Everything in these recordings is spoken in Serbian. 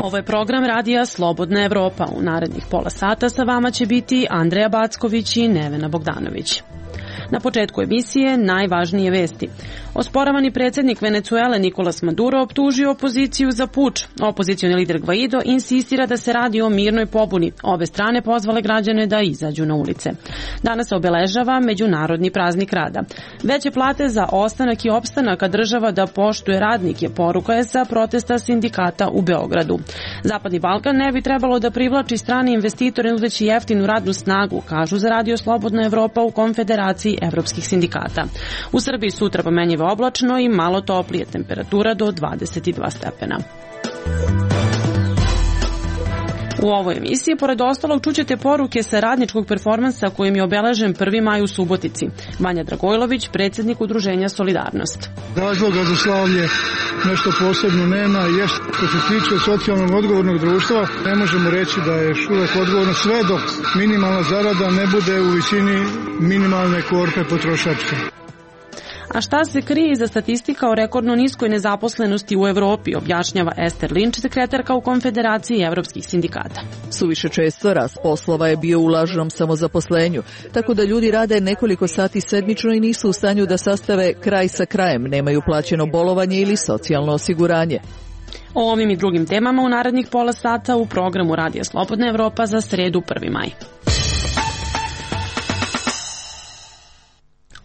Ovo je program radija Slobodna Evropa. U narednih pola sata sa vama će biti Andreja Backović i Nevena Bogdanović. Na početku emisije najvažnije vesti. Osporavani predsjednik Venecuele Nicolas Maduro optužio opoziciju za puč. Opozicioni lider Guaido insistira da se radi o mirnoj pobuni. Obe strane pozvale građane da izađu na ulice. Danas se obeležava Međunarodni praznik rada. Veće plate za ostanak i opstanak, a država da poštuje radnike, poruka je sa protesta sindikata u Beogradu. Zapadni Balkan ne bi trebalo da privlači strane investitore nudeći jeftinu radnu snagu, kažu za Radio Slobodna Evropa u Konfederaciji evropskih sindikata. U Srbiji sutra pomenjivo oblačno i malo toplije, temperatura do 22 stepena. U ovoj emisiji, pored ostalog, čućete poruke sa radničkog performansa kojim je obeležen 1. maj u Subotici. Vanja Dragojlović, predsjednik Udruženja Solidarnost. Razloga za slavlje nešto posebno nema. Što se tiče socijalnog odgovornog društva, ne možemo reći da je još uvek odgovorno sve dok minimalna zarada ne bude u visini minimalne korpe potrošačke. A šta se krije iza statistika o rekordno niskoj nezaposlenosti u Evropi, objašnjava Ester Linč, sekretarka u Konfederaciji evropskih sindikata. Suviše često rast poslova je bio u lažnom samozaposlenju, tako da ljudi rade nekoliko sati sedmično i nisu u stanju da sastave kraj sa krajem, nemaju plaćeno bolovanje ili socijalno osiguranje. O ovim i drugim temama u narednih pola sata u programu Radija Slobodna Evropa za sredu 1. maj.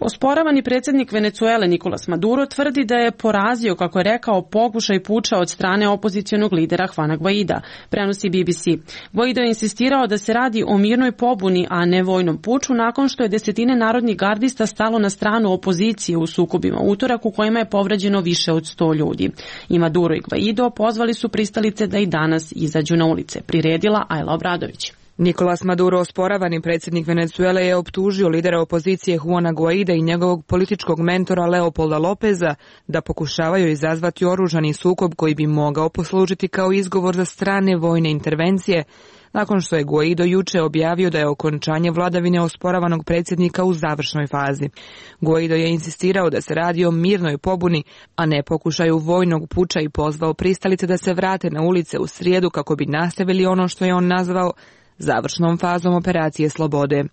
Osporavani predsjednik Venecuele Nicolas Maduro tvrdi da je porazio, kako je rekao, pokušaj puča od strane opozicionog lidera Juana Guaida, prenosi BBC. Guaido je insistirao da se radi o mirnoj pobuni, a ne vojnom puču, nakon što je desetine narodnih gardista stalo na stranu opozicije u sukobima utorak u kojima je povređeno više od 100 ljudi. I Maduro i Guaido pozvali su pristalice da i danas izađu na ulice, priredila Ajla Obradović. Nicolas Maduro, osporavani predsjednik Venecuele, je optužio lidera opozicije Juana Guaida i njegovog političkog mentora Leopolda Lopeza da pokušavaju izazvati oružani sukob koji bi mogao poslužiti kao izgovor za strane vojne intervencije, nakon što je Guaido juče objavio da je okončanje vladavine osporavanog predsjednika u završnoj fazi. Guaido je insistirao da se radi o mirnoj pobuni, a ne pokušaju vojnog puča i pozvao pristalice da se vrate na ulice u srijedu kako bi nastavili ono što je on nazvao završnom fazom operacije slobode.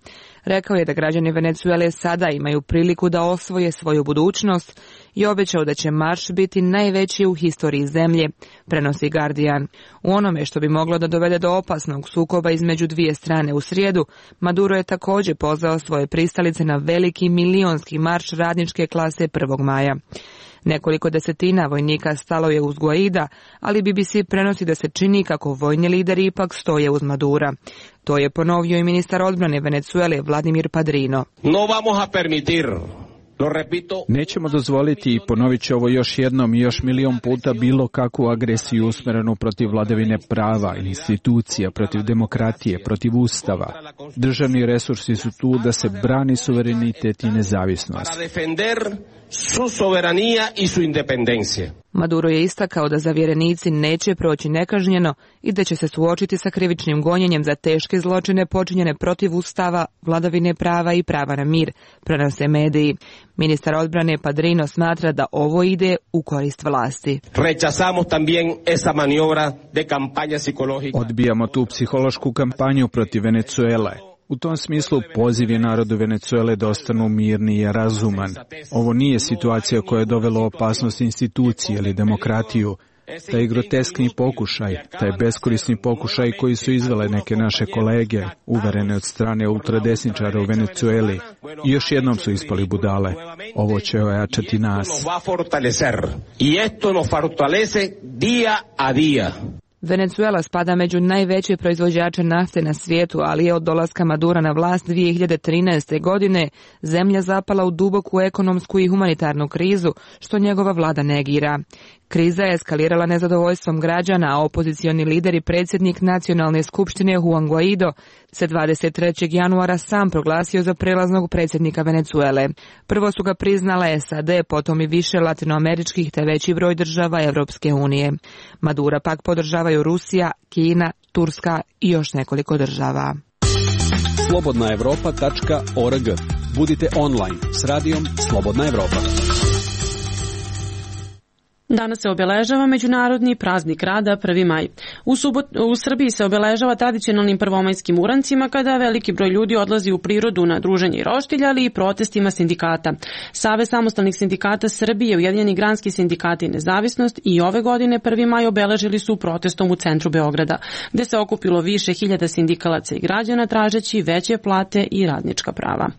Rekao je da građani Venecuele sada imaju priliku da osvoje svoju budućnost i obećao da će marš biti najveći u historiji zemlje, prenosi Guardian. U onome što bi moglo da dovede do opasnog sukoba između dvije strane u srijedu, Maduro je također pozvao svoje pristalice na veliki milionski marš radničke klase 1. maja. Nekoliko desetina vojnika stalo je uz Guaida, ali BBC prenosi da se čini kako vojni lideri ipak stoje uz Madura. To je ponovio i ministar odbrane Venecuele Vladimir Padrino. No vamos a permitir. Nećemo dozvoliti, i ponovit ću ovo još jednom i još milion puta, bilo kakvu agresiju usmjerenu protiv vladavine prava, institucija, protiv demokratije, protiv ustava. Državni resursi su tu da se brani suverenitet i nezavisnost. Su soberanija i su independencija. Maduro je istakao da zavjerenici neće proći nekažnjeno i da će se suočiti sa krivičnim gonjenjem za teške zločine počinjene protiv ustava, vladavine prava i prava na mir, prenose mediji. Ministar odbrane Padrino smatra da ovo ide u korist vlasti. Rechazamos también esa maniobra de campaña psicológica. Odbijamo tu psihološku kampanju protiv Venecuele. U tom smislu poziv je narodu Venecuele da ostanu mirni i razuman. Ovo nije situacija koja je dovela opasnost institucije ili demokratiju. Taj groteskni pokušaj, taj beskorisni pokušaj koji su izvele neke naše kolege, uverene od strane ultradesničara u Venecueli, i još jednom su ispali budale. Ovo će ojačati nas. Venecuela spada među najveće proizvođače nafte na svijetu, ali je od dolaska Madura na vlast 2013. godine zemlja zapala u duboku ekonomsku i humanitarnu krizu, što njegova vlada negira. Kriza je eskalirala nezadovoljstvom građana, a opozicioni lider i predsjednik Nacionalne skupštine Juan Guaido se 23. januara sam proglasio za prelaznog predsjednika Venecuele. Prvo su ga priznale SAD, potom i više latinoameričkih te veći broj država Evropske unije. Madura pak podržavaju Rusija, Kina, Turska i još nekoliko država. slobodnaevropa.org. Budite online s radijom Slobodna Evropa. Danas se obeležava Međunarodni praznik rada 1. maj. U Srbiji se obeležava tradicionalnim prvomajskim urancima kada veliki broj ljudi odlazi u prirodu na druženje i roštilj, ali i protestima sindikata. Savez samostalnih sindikata Srbije, Ujedinjeni granski sindikati i Nezavisnost i ove godine 1. maj obeležili su protestom u centru Beograda, gde se okupilo više hiljada sindikalaca i građana tražeći veće plate i radnička prava.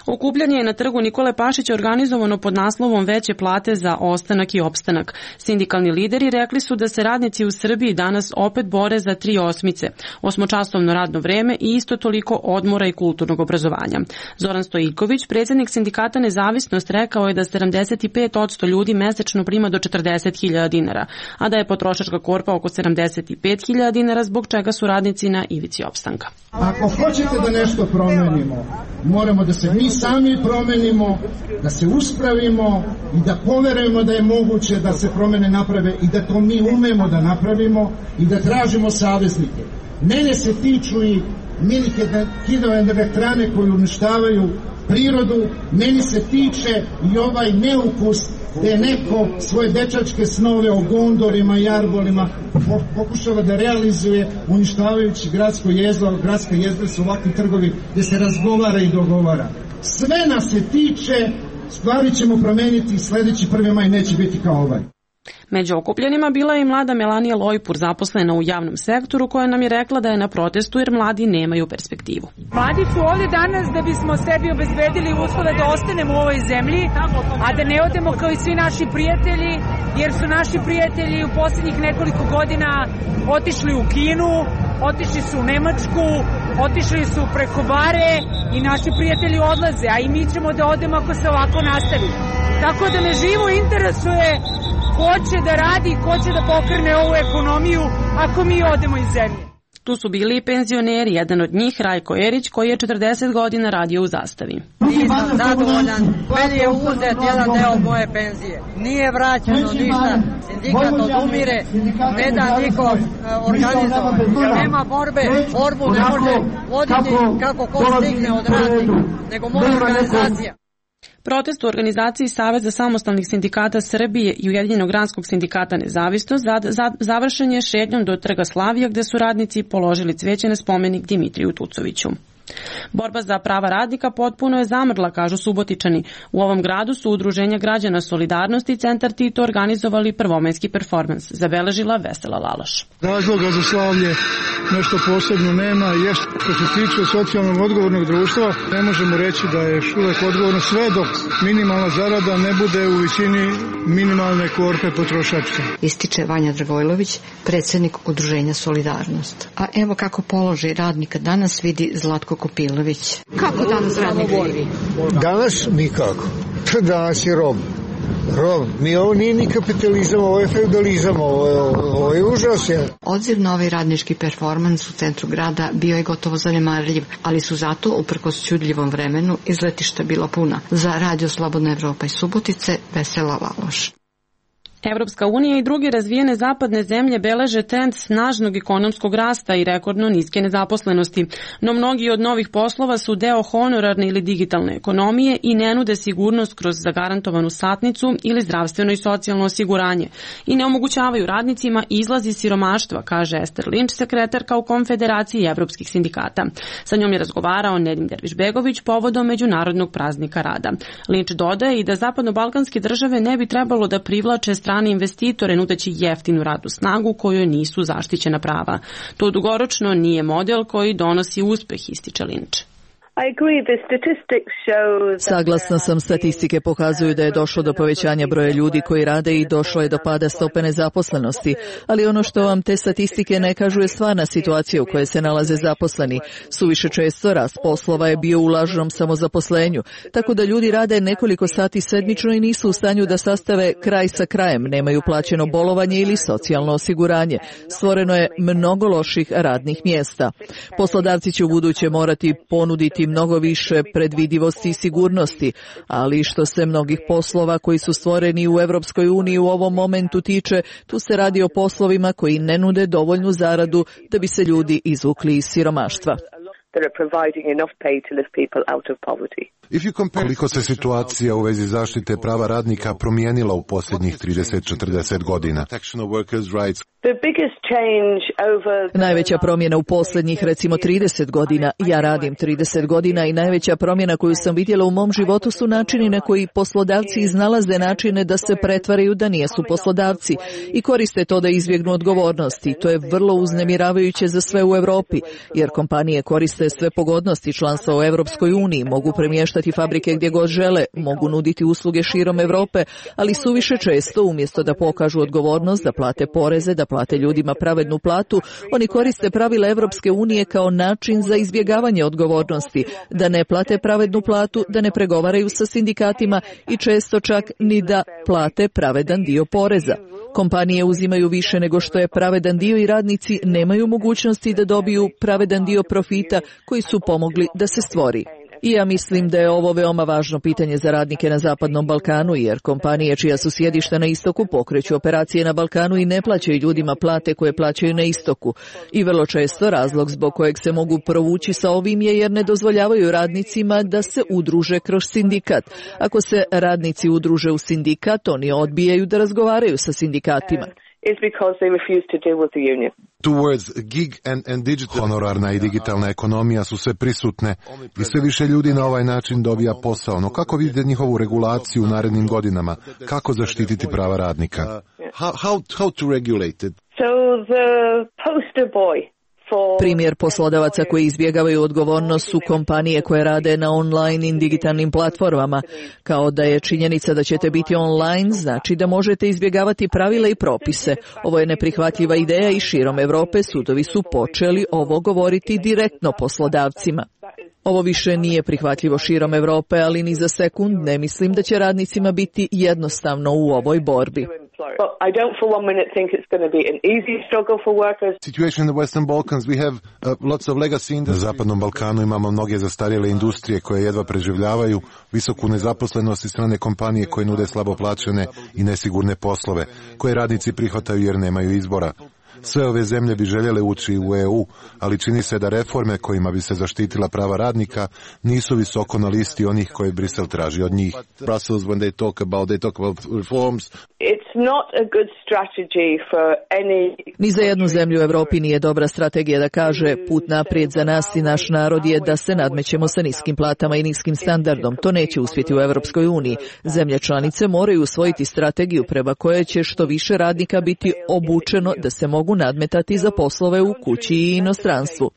Okupljanje je na trgu Nikole Pašića organizovano pod naslovom Veće plate za ostanak i opstanak. Sindikalni lideri rekli su da se radnici u Srbiji danas opet bore za 3 osmice, 8-časovno radno vreme i isto toliko odmora i kulturnog obrazovanja. Zoran Stojiković, predsjednik sindikata Nezavisnost, rekao je da 75% ljudi mesečno prima do 40.000 dinara, a da je potrošačka korpa oko 75.000 dinara, zbog čega su radnici na ivici opstanka. Ako hoćete da nešto promenimo, moramo da se mi sami promenimo, da se uspravimo i da poverujemo da je moguće da se promene naprave i da to mi umemo da napravimo i da tražimo saveznike. Mene se tiču i milike hidroelektrane koje uništavaju prirodu, meni se tiče i ovaj neukus gde je neko svoje dečačke snove o gondorima i arbolima pokušava da realizuje uništavajući gradsko jezero. Gradska jezera su ovakvi trgovi gde se razgovara i dogovara. Sve nas se tiče, stvari ćemo promeniti i sledeći 1. maj neće biti kao ovaj. Među okupljenima bila je i mlada Melanija Lojpur, zaposlena u javnom sektoru, koja nam je rekla da je na protestu jer mladi nemaju perspektivu. Mladi su ovdje danas da bismo sebi obezbedili uslove da ostanemo u ovoj zemlji, a da ne odemo kao i svi naši prijatelji, jer su naši prijatelji u posljednjih nekoliko godina otišli u Kinu, otišli su u Nemačku, otišli su preko bare i naši prijatelji odlaze, a i mi ćemo da odemo ako se ovako nastavi. Tako da me živo interesuje ko će da radi, ko će da pokrene ovu ekonomiju ako mi odemo iz zemlje. Tu su bili i penzioneri, jedan od njih Rajko Erić, koji je 40 godina radio u Zastavi. Nisam zadovoljan, meni je uzet jedan deo moje penzije. Nije vraćeno ništa, sindikat odumire, ne da niko organizovan. Nema borbu ne može voditi kako ko stigne od radnika, nego može organizacija. Protest u organizaciji Saveza samostalnih sindikata Srbije i Ujedinjenog granskog sindikata Nezavisnost završen je šetnjom do Trga Slavija, gde su radnici položili cveće na spomenik Dimitriju Tucoviću. Borba za prava radnika potpuno je zamrla, kažu Subotičani. U ovom gradu su udruženja građana Solidarnosti i Centar Tito organizovali prvomajski performans, zabeležila Vesela Laloš. Razloga za slavlje nešto posebno nema, jer što se tiče socijalnog odgovornog društva, ne možemo reći da je još uvek odgovorno sve dok minimalna zarada ne bude u visini minimalne korpe potrošačke. Ističe Vanja Dragojlović, predsjednik udruženja Solidarnost. A evo kako položaj radnika danas vidi Zlatko Kopilović. Kako danas radnik živi? Danas nikako. Danas je rob. Mi ovo nije ni kapitalizam, ovo je feudalizam, ovo je užas. Odziv na ovaj radnički performans u centru grada bio je gotovo zanemarljiv, ali su zato, uprkos ćudljivom vremenu, izletišta bila puna. Za Radio Slobodna Evropa iz Subotice, Vesela Laloš. Evropska unija i druge razvijene zapadne zemlje beleže trend snažnog ekonomskog rasta i rekordno niske nezaposlenosti, no mnogi od novih poslova su deo honorarne ili digitalne ekonomije i ne nude sigurnost kroz zagarantovanu satnicu ili zdravstveno i socijalno osiguranje i ne omogućavaju radnicima izlaz iz siromaštva, kaže Ester Linč, sekretarka u Konfederaciji evropskih sindikata. Sa njom je razgovarao Nedim Dervišbegović povodom Međunarodnog praznika rada. Linč dodaje i da zapadno-balkanske države ne bi trebalo da privlače strane investitore nudeći jeftinu radnu snagu kojoj nisu zaštićena prava. To dugoročno nije model koji donosi uspeh, ističe Linč. Saglasna sam, statistike pokazuju da je došlo do povećanja broja ljudi koji rade i došlo je do pada stope nezaposlenosti, ali ono što vam te statistike ne kažu je stvarna situacija u kojoj se nalaze zaposleni. Suviše često rast poslova je bio u lažnom samozaposlenju, tako da ljudi rade nekoliko sati sedmično i nisu u stanju da sastave kraj sa krajem, nemaju plaćeno bolovanje ili socijalno osiguranje. Stvoreno je mnogo loših radnih mjesta. Poslodavci će u buduće morati ponuditi mnogo više predvidivosti i sigurnosti, ali što se mnogih poslova koji su stvoreni u Evropskoj uniji u ovom momentu tiče, tu se radi o poslovima koji ne nude dovoljnu zaradu da bi se ljudi izvukli iz siromaštva. Koliko se situacija u vezi zaštite prava radnika promijenila u posljednjih 30-40 godina? Najveća promjena u posljednjih recimo 30 godina, ja radim 30 godina i najveća promjena koju sam vidjela u mom životu su načini na koji poslodavci iznalaze načine da se pretvaraju da nijesu poslodavci i koriste to da izbjegnu odgovornosti. To je vrlo uznemiravajuće za sve u Europi, jer kompanije koriste sve pogodnosti članstva u Europskoj uniji, mogu premještati fabrike gdje god žele, mogu nuditi usluge širom Europe, ali suviše često, umjesto da pokažu odgovornost, da plate poreze, da plate ljudima pravednu platu, oni koriste pravila Europske unije kao način za izbjegavanje odgovornosti, da ne plate pravednu platu, da ne pregovaraju sa sindikatima i često čak ni da plate pravedan dio poreza. Kompanije uzimaju više nego što je pravedan dio i radnici nemaju mogućnosti da dobiju pravedan dio profita koji su pomogli da se stvori. I ja mislim da je ovo veoma važno pitanje za radnike na Zapadnom Balkanu, jer kompanije čija su sjedišta na istoku pokreću operacije na Balkanu i ne plaćaju ljudima plate koje plaćaju na istoku. I vrlo često razlog zbog kojeg se mogu provući sa ovim je jer ne dozvoljavaju radnicima da se udruže kroz sindikat. Ako se radnici udruže u sindikat, oni odbijaju da razgovaraju sa sindikatima. Honorarna i digitalna ekonomija su sve prisutne i sve više ljudi na ovaj način dobija posao. No kako vidite njihovu regulaciju u narednim godinama? Kako zaštititi prava radnika? How to regulate it? Primjer poslodavaca koji izbjegavaju odgovornost su kompanije koje rade na online i digitalnim platformama. Kao da je činjenica da ćete biti online, znači da možete izbjegavati pravila i propise. Ovo je neprihvatljiva ideja i širom Europe sudovi su počeli ovo govoriti direktno poslodavcima. Ovo više nije prihvatljivo širom Europe, ali ni za sekund ne mislim da će radnicima biti jednostavno u ovoj borbi. Na Zapadnom Balkanu imamo mnoge zastarjele industrije koje jedva preživljavaju, visoku nezaposlenost i strane kompanije koje nude slabo plaćene i nesigurne poslove, koje radnici prihvataju jer nemaju izbora. Sve ove zemlje bi željele ući u EU, ali čini se da reforme kojima bi se zaštitila prava radnika nisu visoko na listi onih koje Brisel traži od njih. Brussels, when they talk about reforms. Ni za jednu zemlju u Europi nije dobra strategija da kaže put naprijed za nas i naš narod je da se nadmećemo sa niskim platama i niskim standardom. To neće uspjeti u Europskoj uniji. Zemlje članice moraju usvojiti strategiju prema kojoj će što više radnika biti obučeno da se mogu nadmetati za poslove u kući i inostranstvu.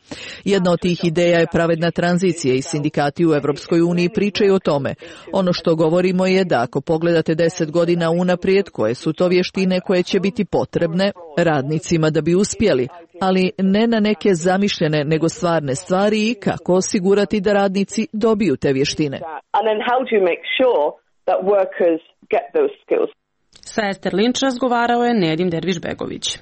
Jedna od tih ideja je pravedna tranzicija i sindikati u Europskoj uniji pričaju o tome. Ono što govorimo je da ako pogledate 10 godina unaprijed, koje su to vještine koje će biti potrebne radnicima da bi uspjeli, ali ne na neke zamišljene nego stvarne stvari i kako osigurati da radnici dobiju te vještine. Sa Ester Linč razgovarao je Nedim Derviš-Begović.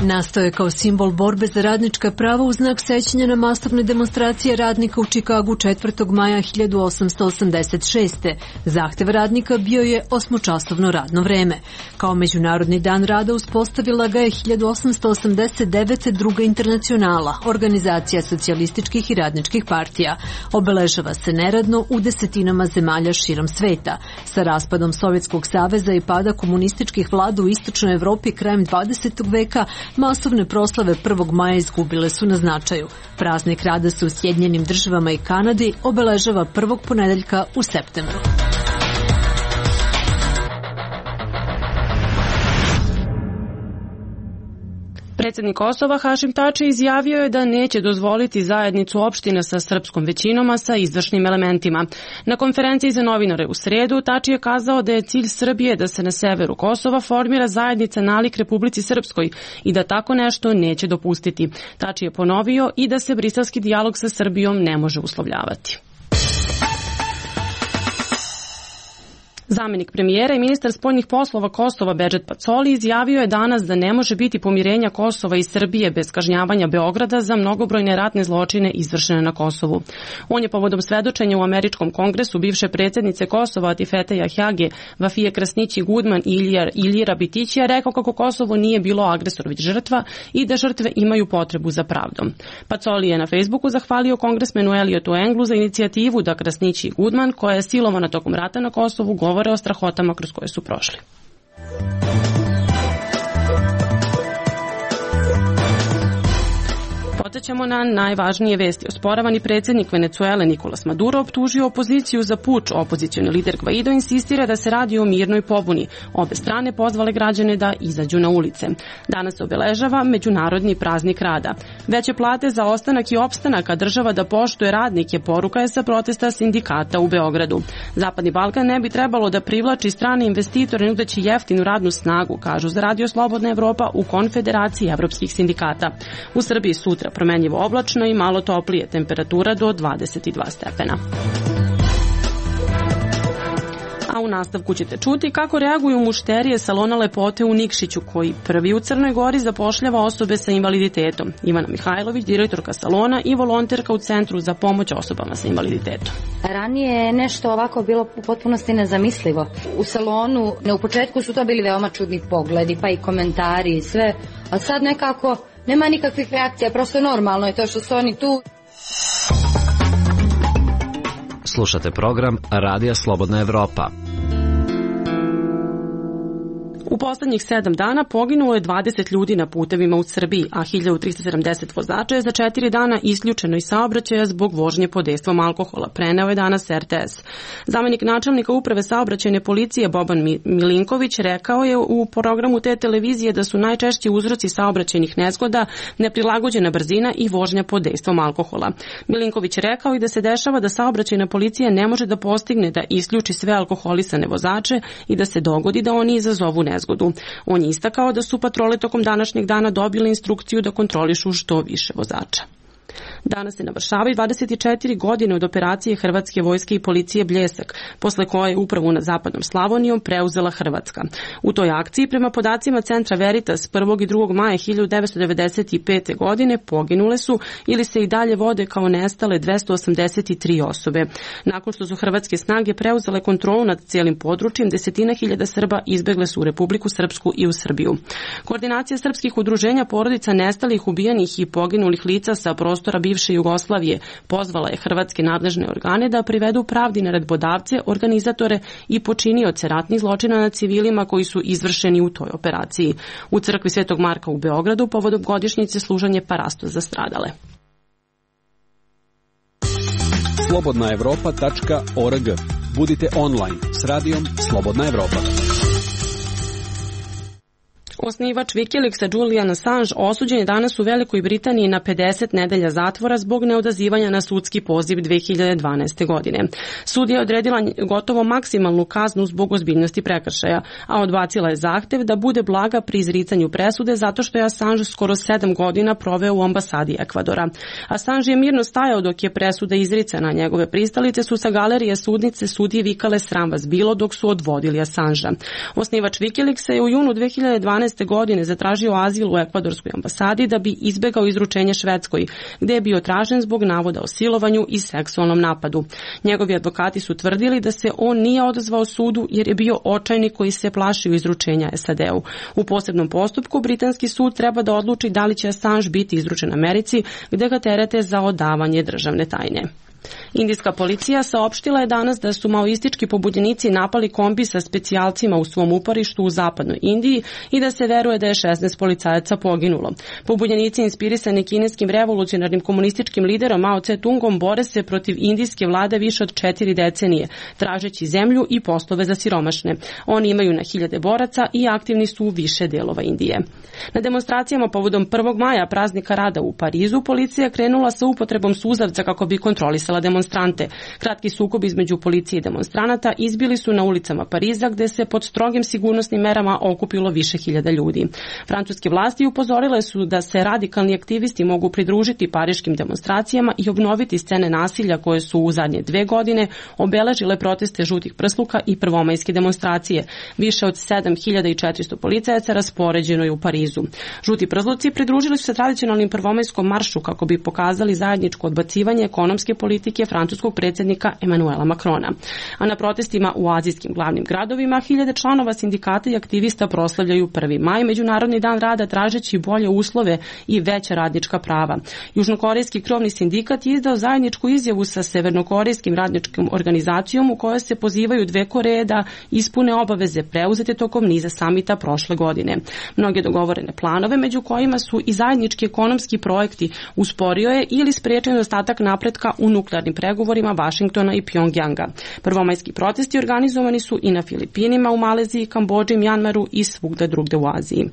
Nastao je kao simbol borbe za radnička prava u znak sećanja na masovne demonstracije radnika u Čikagu 4. maja 1886. Zahtev radnika bio je 8-časovno radno vreme. Kao Međunarodni dan rada uspostavila ga je 1889. Druga internacionala, organizacija socijalističkih i radničkih partija. Obeležava se neradno u desetinama zemalja širom sveta. Sa raspadom Sovjetskog saveza i pada komunističkih vlada u istočnoj Evropi krajem 20. veka, masovne proslave 1. maja izgubile su na značaju. Praznik rada se u Sjedinjenim Državama i Kanadi obeležava prvog ponedeljka u septembru. Predsjednik Kosova Hašim Tači izjavio je da neće dozvoliti zajednicu opština sa srpskom većinom, a sa izvršnim elementima. Na konferenciji za novinare u srijedu Tači je kazao da je cilj Srbije da se na severu Kosova formira zajednica nalik Republici Srpskoj i da tako nešto neće dopustiti. Tači je ponovio i da se briselski dijalog sa Srbijom ne može uslovljavati. Zamenik premijera i ministar spoljnih poslova Kosova Bedžet Pacoli izjavio je danas da ne može biti pomirenja Kosova i Srbije bez kažnjavanja Beograda za mnogobrojne ratne zločine izvršene na Kosovu. On je povodom svedočenja u Američkom kongresu bivše predsjednice Kosova Atifete Jahjage, Vafije Krasnići Gudman i Iljira Bitićija rekao kako Kosovo nije bilo agresor već žrtva i da žrtve imaju potrebu za pravdom. Pacoli je na Facebooku zahvalio kongresmenu Eliotu Englu za inicijativu da Krasnići i Gudman, koja je silovana tokom rata na Kosovu, govore o strahotama kroz koje su prošli. Podsjećamo na najvažnije vesti. Osporavani predsjednik Venecuele Nicolas Maduro optužio opoziciju za puč. Opozicioni lider Guaido insistira da se radi o mirnoj pobuni. Obe strane pozvale građane da izađu na ulice. Danas se obeležava Međunarodni praznik rada. Veće plate za ostanak i opstanak, a država da poštuje radnike, poruka je sa protesta sindikata u Beogradu. Zapadni Balkan ne bi trebalo da privlači strane investitore nudeći jeftinu radnu snagu, kažu za Radio Slobodna Evropa u Konfederaciji evropskih sindikata. U Srbiji sutra promenljivo oblačno i malo toplije, temperatura do 22 stepena. A u nastavku ćete čuti kako reaguju mušterije salona lepote u Nikšiću, koji prvi u Crnoj Gori zapošljava osobe sa invaliditetom. Ivana Mihajlović, direktorka salona i volonterka u Centru za pomoć osobama sa invaliditetom. Ranije je nešto ovako bilo u potpunosti nezamislivo. U salonu, u početku su to bili veoma čudni pogledi, pa i komentari i sve, a sad nekako nema nikakvih reakcija, prosto normalno je to što su oni tu. Slušate program Radija Slobodna Evropa. U poslednjih 7 dana poginulo je 20 ljudi na putevima u Srbiji, a 1370 vozača je za 4 dana isključeno iz saobraćaja zbog vožnje pod dejstvom alkohola, preneo je danas RTS. Zamenik načelnika uprave saobraćajne policije Boban Milinković rekao je u programu te televizije da su najčešći uzroci saobraćajnih nezgoda neprilagođena brzina i vožnja pod dejstvom alkohola. Milinković rekao i da se dešava da saobraćajna policija ne može da postigne da isključi sve alkoholisane vozače i da se dogodi da oni izazovu nezgodu. On je istakao da su patrole tokom današnjeg dana dobile instrukciju da kontrolišu što više vozača. Danas se navršavaju 24 godine od operacije Hrvatske vojske i policije Bljesak, posle koje je upravu nad zapadnom Slavonijom preuzela Hrvatska. U toj akciji, prema podacima Centra Veritas, 1. i 2. maja 1995. godine poginule su ili se i dalje vode kao nestale 283 osobe. Nakon što su hrvatske snage preuzele kontrolu nad cijelim područjem, desetina hiljada Srba izbegle su u Republiku Srpsku i u Srbiju. Koordinacija srpskih udruženja porodica nestalih, ubijenih i poginulih lica sa prostora bivše Jugoslavije pozvala je hrvatske nadležne organe da privedu pravdi naredbodavce, organizatore i počinioce ratnih zločina nad civilima koji su izvršeni u toj operaciji. U crkvi Svetog Marka u Beogradu povodom godišnjice služanje parasto za stradale. slobodnaevropa.org. Budite online s radijom Slobodna Evropa. Osnivač Wikileaksa Julian Assange osuđen je danas u Velikoj Britaniji na 50 nedelja zatvora zbog neodazivanja na sudski poziv 2012. godine. Sud je odredila gotovo maksimalnu kaznu zbog ozbiljnosti prekršaja, a odbacila je zahtev da bude blaga pri izricanju presude zato što je Assange skoro 7 godina proveo u ambasadi Ekvadora. Assange je mirno stajao dok je presuda izricana, njegove pristalice su sa galerije sudnice sudije vikale sram vas bilo dok su odvodili Assangea. Osnivač Wikileaksa je u junu 2012. godine zatražio azil u ekvadorskoj ambasadi da bi izbegao izručenje Švedskoj, gde je bio tražen zbog navoda o silovanju i seksualnom napadu. Njegovi advokati su tvrdili da se on nije odazvao sudu jer je bio očajnik koji se plašio izručenja SAD-u. U posebnom postupku britanski sud treba da odluči da li će Assange biti izručen Americi, gde ga terete za odavanje državne tajne. Indijska policija saopštila je danas da su maoistički pobunjenici napali kombi sa specijalcima u svom uporištu u zapadnoj Indiji i da se veruje da je 16 policajaca poginulo. Pobunjenici inspirisani kineskim revolucionarnim komunističkim liderom Mao Tse-tungom bore se protiv indijske vlade više od 4 decenije, tražeći zemlju i poslove za siromašne. Oni imaju na hiljade boraca i aktivni su u više delova Indije. Na demonstracijama povodom 1. maja praznika rada u Parizu policija krenula sa upotrebom suzavca kako bi kontrolisala okupila demonstrante. Kratki sukob između policije i demonstranata izbili su na ulicama Pariza, gde se pod strogim sigurnosnim merama okupilo više hiljada ljudi. Francuske vlasti upozorile su da se radikalni aktivisti mogu pridružiti pariškim demonstracijama i obnoviti scene nasilja koje su u zadnje 2 godine obeležile proteste žutih prsluka i prvomajske demonstracije. Više od 7400 policajaca raspoređeno je u Parizu. Žuti prsluci pridružili su se tradicionalnim prvomajskom maršu kako bi pokazali zajedničko odbacivanje ekonomske politike francuskog predsjednika Emanuela Macrona. A na protestima u azijskim glavnim gradovima hiljade članova sindikata i aktivista proslavljaju 1. maj, Međunarodni dan rada, tražeći bolje uslove i veća radnička prava. Južnokorejski krovni sindikat je izdao zajedničku izjavu sa severnokorejskim radničkom organizacijom u kojoj se pozivaju dve Koreje da ispune obaveze preuzete tokom niza samita prošle godine. Mnoge dogovorene planove, među kojima su i zajednički ekonomski projekti, usporio je ili sprečio nedostatak napretka u nuklearnim pregovorima Vašingtona i Pjongjanga. Prvomajski protesti organizovani su i na Filipinima, u Maleziji, Kambodži, Mjanmaru i svugde drugde u Aziji.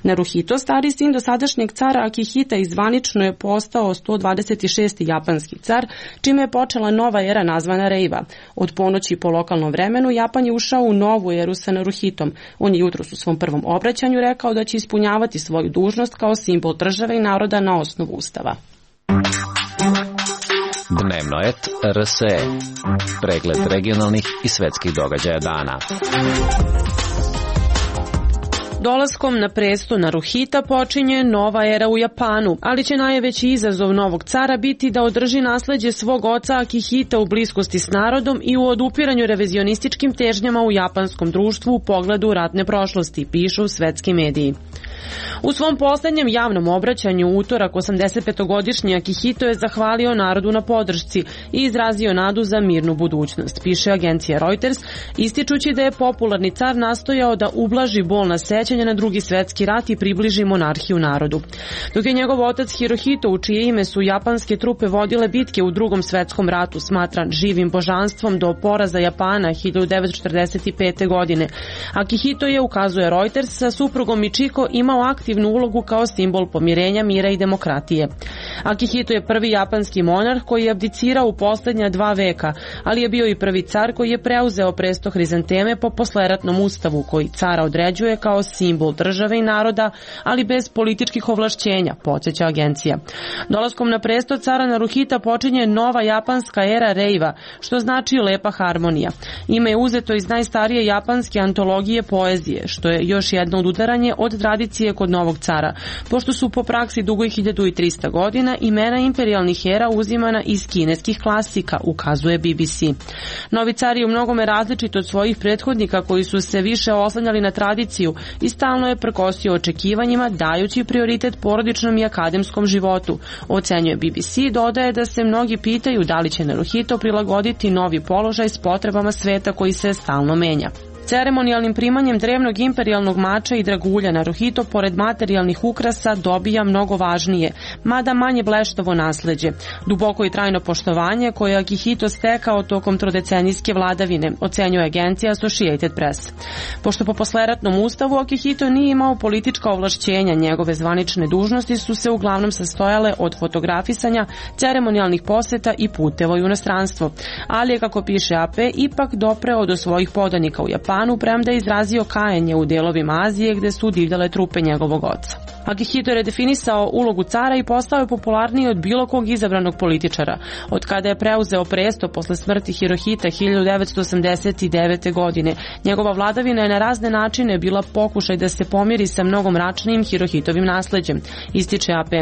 Naruhito, stari sin dosadašnjeg cara Akihita, zvanično je postao 126. japanski car, čime je počela nova era nazvana Reiva. Od ponoći po lokalnom vremenu Japan je ušao u novu eru sa Naruhitom. On je jutros u svom prvom obraćanju rekao da će ispunjavati svoju dužnost kao simbol države i naroda na osnovu ustava. Dnevno et RSE. Pregled regionalnih i svetskih događaja dana. Dolaskom na presto Naruhita počinje nova era u Japanu, ali će najveći izazov novog cara biti da održi nasleđe svog oca Akihita u bliskosti s narodom i u odupiranju revizionističkim težnjama u japanskom društvu u pogledu ratne prošlosti, pišu svetski mediji. U svom poslednjem javnom obraćanju u utorak 85-godišnji Akihito je zahvalio narodu na podršci i izrazio nadu za mirnu budućnost, piše agencija Reuters, ističući da je popularni car nastojao da ublaži bolna sećanja na Drugi svetski rat i približi monarhiju narodu. Dok je njegov otac Hirohito, u čije ime su japanske trupe vodile bitke u Drugom svetskom ratu, smatran živim božanstvom do poraza Japana 1945. godine. Akihito je, ukazuje Reuters, sa suprugom Michiko imao aktivnu ulogu kao simbol pomirenja, mira i demokratije. Akihito je prvi japanski monarh koji je abdicirao u poslednja 2 veka, ali je bio i prvi car koji je preuzeo presto hrizanteme po posleratnom ustavu koji cara određuje kao simbol države i naroda, ali bez političkih ovlašćenja, podsjeća agencija. Dolaskom na presto cara Naruhita počinje nova japanska era Reiva, što znači lepa harmonija. Ime je uzeto iz najstarije japanske antologije poezije, što je još jedno odudaranje od tradicije kod novog cara, pošto su po praksi dugoj 1300 godina imena imperijalnih era uzimana iz kineskih klasika, ukazuje BBC. Novi car je u mnogome različit od svojih prethodnika koji su se više oslanjali na tradiciju i stalno je prkosio očekivanjima, dajući prioritet porodičnom i akademskom životu, ocenjuje BBC, dodaje da se mnogi pitaju da li će Naruhito prilagoditi novi položaj s potrebama sveta koji se stalno menja. Ceremonijalnim primanjem drevnog imperijalnog mača i dragulja Naruhito, pored materijalnih ukrasa, dobija mnogo važnije, mada manje bleštavo nasleđe, duboko i trajno poštovanje koje je Akihito stekao tokom trodecenijske vladavine, ocenjuje agencija Associated Press. Pošto po posleratnom ustavu Akihito nije imao politička ovlašćenja, njegove zvanične dužnosti su se uglavnom sastojale od fotografisanja, ceremonijalnih poseta i puteva u inostranstvo, ali je, kako piše AP, ipak dopreo do svojih podanika u Japanu, premda je izrazio kajanje u delovima Azije gde su divljale trupe njegovog oca. Akihito je redefinisao ulogu cara i postao je popularniji od bilo kog izabranog političara. Od kada je preuzeo presto posle smrti Hirohita 1989. godine, njegova vladavina je na razne načine bila pokušaj da se pomiri sa mnogo mračnijim Hirohitovim nasleđem, ističe AP.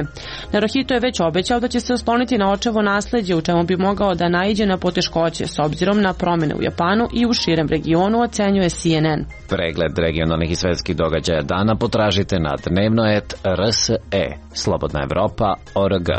Naruhito je već obećao da će se osloniti na očevo nasleđe, u čemu bi mogao da naiđe na poteškoće s obzirom na promene u Japanu i u širem regionu, ocenjuje CNN. Pregled regionalnih i svetskih događaja dana potražite na dnevno.RSE, Slobodna Evropa.org.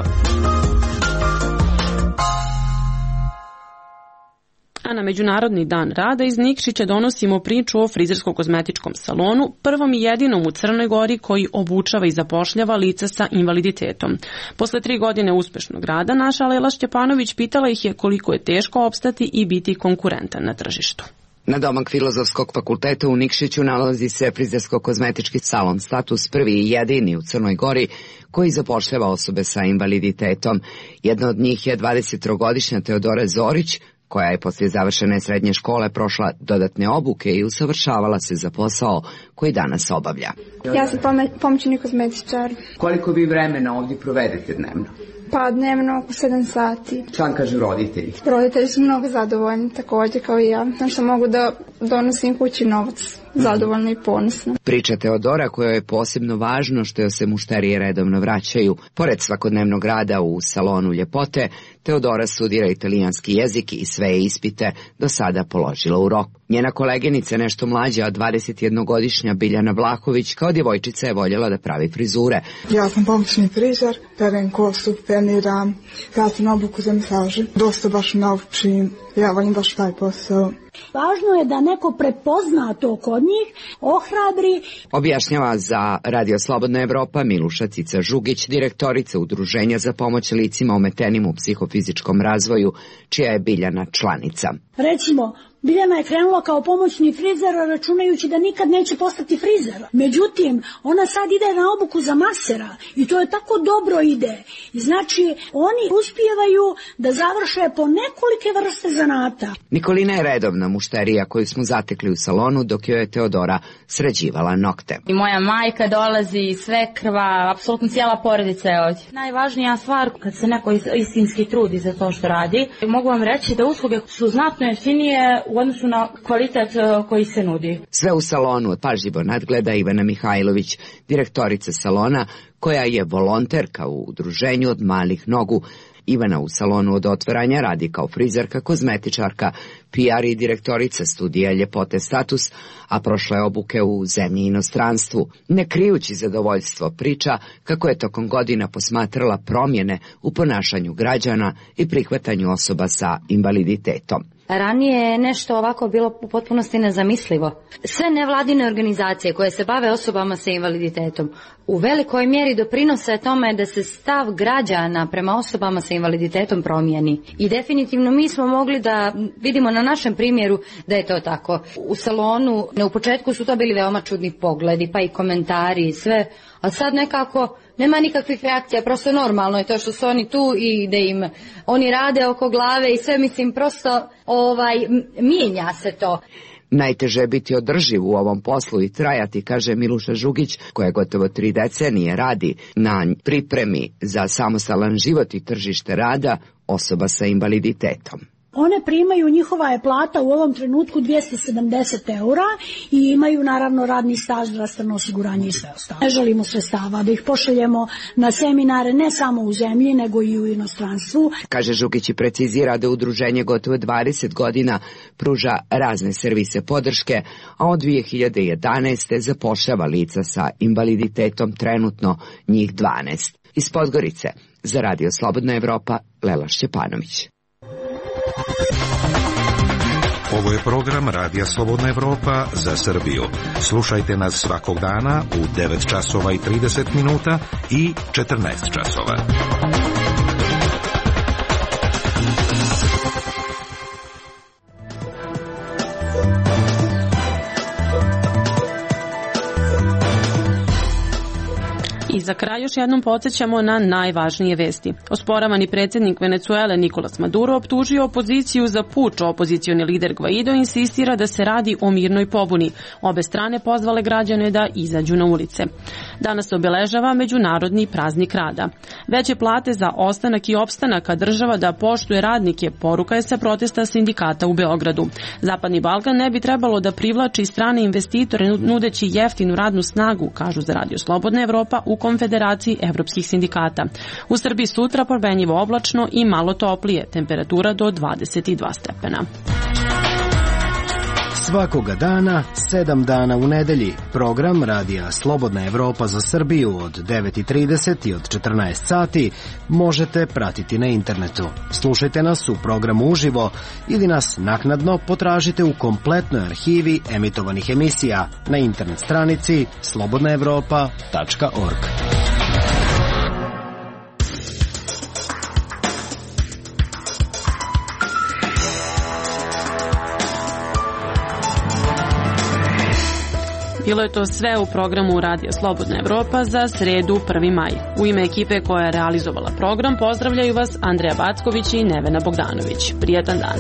A na Međunarodni dan rada iz Nikšića donosimo priču o frizersko-kozmetičkom salonu, prvom i jedinom u Crnoj Gori koji obučava i zapošljava lica sa invaliditetom. Posle 3 godine uspešnog rada, naša Lela Šćepanović pitala ih je koliko je teško opstati i biti konkurentan na tržištu. Nadomak Filozofskog fakulteta u Nikšiću nalazi se frizersko-kozmetički salon Status, prvi i jedini u Crnoj Gori koji zapošljava osobe sa invaliditetom. Jedna od njih je 23-godišnja Teodora Zorić, koja je poslije završene srednje škole prošla dodatne obuke i usavršavala se za posao koji danas obavlja. Ja sam pomoćni kozmetičar. Koliko vi vremena ovdje provedete dnevno? Pa dnevno oko 7 sati. Šta vam kažu roditelji? Roditelji su mnogo zadovoljni, također kao i ja. Znači što mogu da donosim kući novac. Zadovoljno i ponosno. Priča Teodora, kojoj je posebno važno što joj se mušterije redovno vraćaju. Pored svakodnevnog rada u salonu ljepote, Teodora studira italijanski jezik i sve ispite do sada položila u roku. Njena koleginica, nešto mlađa, 21-godišnja Biljana Vlahović, kao djevojčica je voljela da pravi frizure. Ja sam pomoćni frizer, perem kosu, peniram, pratim obuku za masaže. Dosta baš naučim, ja volim baš taj posao. Važno je da neko prepozna to kod njih, ohrabri. Objašnjava za Radio Slobodna Evropa Miluša Cica Žugić, direktorica Udruženja za pomoć licima ometenim u psihofizičkom razvoju, čija je Biljana članica. Recimo, Biljana je krenula kao pomoćni frizer računajući da nikad neće postati frizer. Međutim, ona sad ide na obuku za masera i to je tako dobro ide. I znači, oni uspijevaju da završe po nekolike vrste zanata. Nikolina je redovna mušterija koju smo zatekli u salonu dok joj je Teodora sređivala nokte. I moja majka dolazi, svekrva, apsolutno cijela porodica je ovdje. Najvažnija stvar kad se neko istinski trudi za to što radi, mogu vam reći da usluge su znatno jeftinije u odnosu na kvalitet koji se nudi. Sve u salonu pažljivo nadgleda Ivana Mihajlović, direktorica salona, koja je volonterka u udruženju Od malih nogu. Ivana u salonu od otvaranja radi kao frizerka, kozmetičarka, PR i direktorica studija ljepote Status, a prošla je obuke u zemlji i inostranstvu. Ne krijući zadovoljstvo, priča kako je tokom godina posmatrala promjene u ponašanju građana i prihvatanju osoba sa invaliditetom. Ranije je nešto ovako bilo u potpunosti nezamislivo. Sve nevladine organizacije koje se bave osobama sa invaliditetom u velikoj mjeri doprinose tome da se stav građana prema osobama sa invaliditetom promijeni. I definitivno mi smo mogli da vidimo na našem primjeru da je to tako. U salonu u početku su to bili veoma čudni pogledi, pa i komentari i sve, a sad nekako nema nikakvih reakcija, prosto normalno je to što su oni tu i da im oni rade oko glave i sve, mislim, prosto mijenja se to. Najteže je biti održiv u ovom poslu i trajati, kaže Miluša Žugić, koja gotovo 3 decenije radi na pripremi za samostalan život i tržište rada osoba sa invaliditetom. One primaju, njihova je plata u ovom trenutku 270 eura i imaju naravno radni staž, zdravstveno osiguranje i sve ostalo. Ne želimo sredstava da ih pošaljemo na seminare ne samo u zemlji nego i u inostranstvu. Kaže Žukić i precizira da udruženje gotovo 20 godina pruža razne servise podrške, a od 2011. zapošljava lica sa invaliditetom, trenutno njih 12. Iz Podgorice za Radio Slobodna Evropa, Lela Šćepanović. Ovo je program Radija Slobodna Evropa za Srbiju. Slušajte nas svakog dana u 9 časova i 30 minuta i 14 časova. I za kraj još jednom podsjećamo na najvažnije vesti. Osporavani predsjednik Venecuele Nicolas Maduro optužio opoziciju za puč. Opozicioni lider Guaido insistira da se radi o mirnoj pobuni. Obe strane pozvale građane da izađu na ulice. Danas se obeležava Međunarodni praznik rada. Veće plate za ostanak i opstanak, a država da poštuje radnike, poruka je sa protesta sindikata u Beogradu. Zapadni Balkan ne bi trebalo da privlači strane investitore nudeći jeftinu radnu snagu, kažu za Radio Slobodna Evropa u Konfederaciji evropskih sindikata. U Srbiji sutra promenljivo oblačno i malo toplije, temperatura do 22 stepena. Svakoga dana, 7 dana u nedelji. Program Radija Slobodna Evropa za Srbiju od 9:30 i od 14 sati možete pratiti na internetu. Slušajte nas u programu uživo ili nas naknadno potražite u kompletnoj arhivi emitovanih emisija na internet stranici slobodnaevropa.org. Bilo je to sve u programu Radio Slobodna Evropa za sredu 1. maj. U ime ekipe koja je realizovala program pozdravljaju vas Andreja Backović i Nevena Bogdanović. Prijatan dan.